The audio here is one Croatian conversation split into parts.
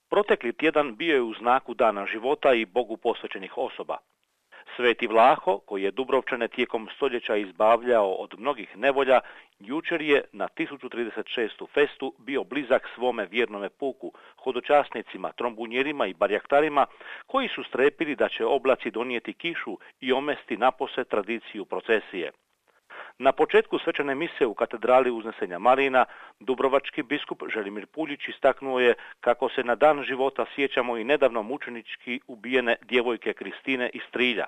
Protekli tjedan bio je u znaku Dana života i Bogu posvećenih osoba. Sveti Vlaho, koji je Dubrovčane tijekom stoljeća izbavljao od mnogih nevolja, jučer je na 1036. festu bio blizak svome vjernome puku, hodočasnicima, trombunjerima i barjaktarima, koji su strepili da će oblaci donijeti kišu i omesti napose tradiciju procesije. Na početku svečane mise u katedrali Uznesenja Marina, dubrovački biskup Želimir Puljić istaknuo je kako se na dan života sjećamo i nedavno mučenički ubijene djevojke Kristine iz Trilja.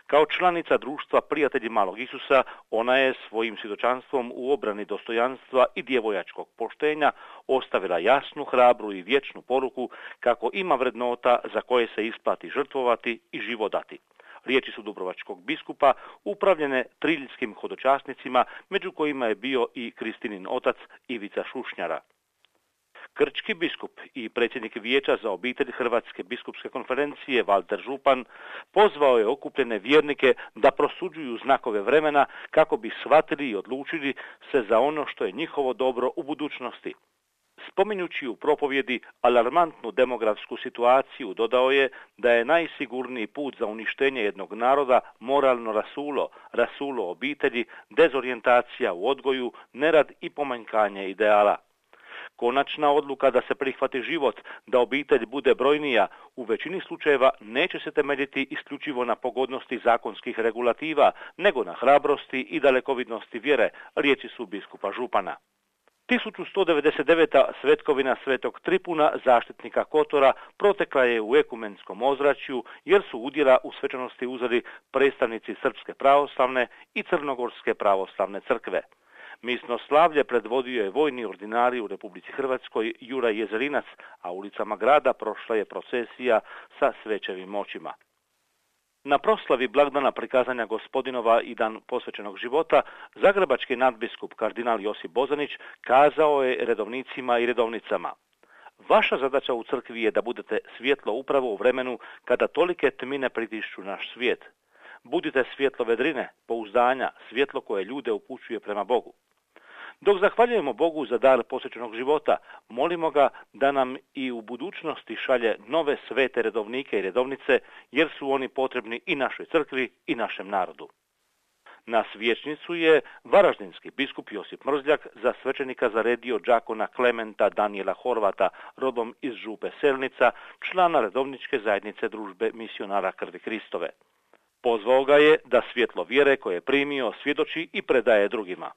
Kao članica društva Prijatelji Malog Isusa, ona je svojim svjedočanstvom u obrani dostojanstva i djevojačkog poštenja ostavila jasnu, hrabru i vječnu poruku kako ima vrednota za koje se isplati žrtvovati i život dati. Riječi su dubrovačkog biskupa upravljene triljskim hodočasnicima, među kojima je bio i Kristinin otac Ivica Šušnjara. Krčki biskup i predsjednik Vijeća za obitelj Hrvatske biskupske konferencije Valter Župan pozvao je okupljene vjernike da prosuđuju znakove vremena kako bi shvatili i odlučili se za ono što je njihovo dobro u budućnosti. Spominjući u propovjedi alarmantnu demografsku situaciju, dodao je da je najsigurniji put za uništenje jednog naroda moralno rasulo obitelji, dezorijentacija u odgoju, nerad i pomanjkanje ideala. Konačna odluka da se prihvati život, da obitelj bude brojnija, u većini slučajeva neće se temeljiti isključivo na pogodnosti zakonskih regulativa, nego na hrabrosti i dalekovidnosti vjere, riječi su biskupa Župana. 1199. svetkovina Svetog Tripuna, zaštitnika Kotora, protekla je u ekumenskom ozračju jer su udjela u svečanosti uzeli predstavnici Srpske pravoslavne i Crnogorske pravoslavne crkve. Misno slavlje predvodio je vojni ordinarij u Republici Hrvatskoj Juraj Jezerinac, a ulicama grada prošla je procesija sa svećevim moćima. Na proslavi blagdana prikazanja Gospodinova i dan posvećenog života, zagrebački nadbiskup kardinal Josip Bozanić kazao je redovnicima i redovnicama: vaša zadaća u crkvi je da budete svjetlo upravo u vremenu kada tolike tmine pritišću naš svijet. Budite svjetlo vedrine, pouzdanja, svjetlo koje ljude upućuje prema Bogu. Dok zahvaljujemo Bogu za dar posvećenog života, molimo ga da nam i u budućnosti šalje nove svete redovnike i redovnice, jer su oni potrebni i našoj crkvi i našem narodu. Na svječnicu je varaždinski biskup Josip Mrzljak za svećenika zaredio đakona Klementa Danijela Horvata, rodom iz župe Selnica, člana redovničke zajednice družbe misionara krvi Kristove. Pozvao ga je da svjetlo vjere koje je primio svjedoči i predaje drugima.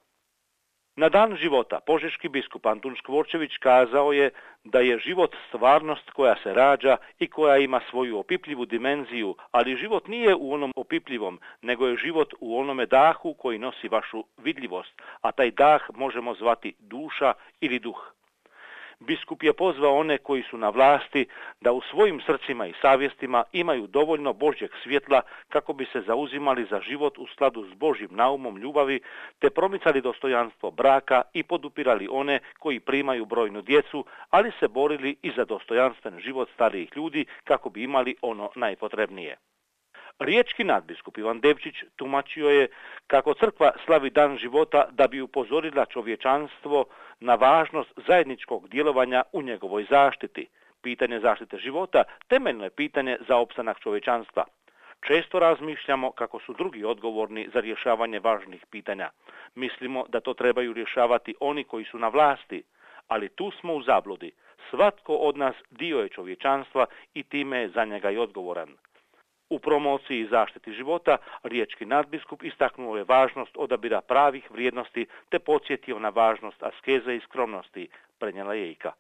Na dan života požeški biskup Antun Škvorčević kazao je da je život stvarnost koja se rađa i koja ima svoju opipljivu dimenziju, ali život nije u onom opipljivom, nego je život u onome dahu koji nosi vašu vidljivost, a taj dah možemo zvati duša ili duh. Biskup je pozvao one koji su na vlasti da u svojim srcima i savjestima imaju dovoljno Božjeg svjetla kako bi se zauzimali za život u skladu s Božjim naumom ljubavi, te promicali dostojanstvo braka i podupirali one koji primaju brojnu djecu, ali se borili i za dostojanstven život starijih ljudi kako bi imali ono najpotrebnije. Riječki nadbiskup Ivan Devčić tumačio je kako crkva slavi dan života da bi upozorila čovječanstvo na važnost zajedničkog djelovanja u njegovoj zaštiti. Pitanje zaštite života temeljno je pitanje za opstanak čovječanstva. Često razmišljamo kako su drugi odgovorni za rješavanje važnih pitanja. Mislimo da to trebaju rješavati oni koji su na vlasti, ali tu smo u zabludi. Svatko od nas dio je čovječanstva i time je za njega i odgovoran. U promociji i zaštiti života riječki nadbiskup istaknuo je važnost odabira pravih vrijednosti te podsjetio na važnost askeze i skromnosti, prenijela je Ika.